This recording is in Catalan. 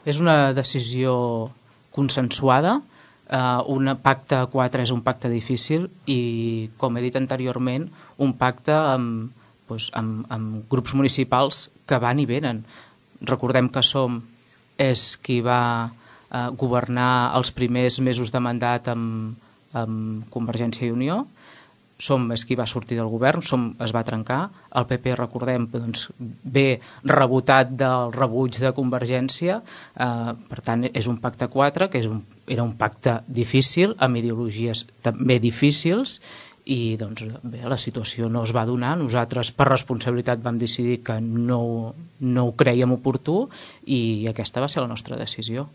És una decisió consensuada. Un pacte a 4 és un pacte difícil i, com he dit anteriorment, un pacte amb grups municipals que van i venen. Recordem que és qui va governar els primers mesos de mandat amb Convergència i Unió. És qui va sortir del govern, es va trencar. El PP, recordem, ve rebotat del rebuig de Convergència. Per tant, és un pacte a 4, que era un pacte difícil, amb ideologies també difícils, i la situació no es va donar. Nosaltres, per responsabilitat, vam decidir que no ho crèiem oportú, i aquesta va ser la nostra decisió.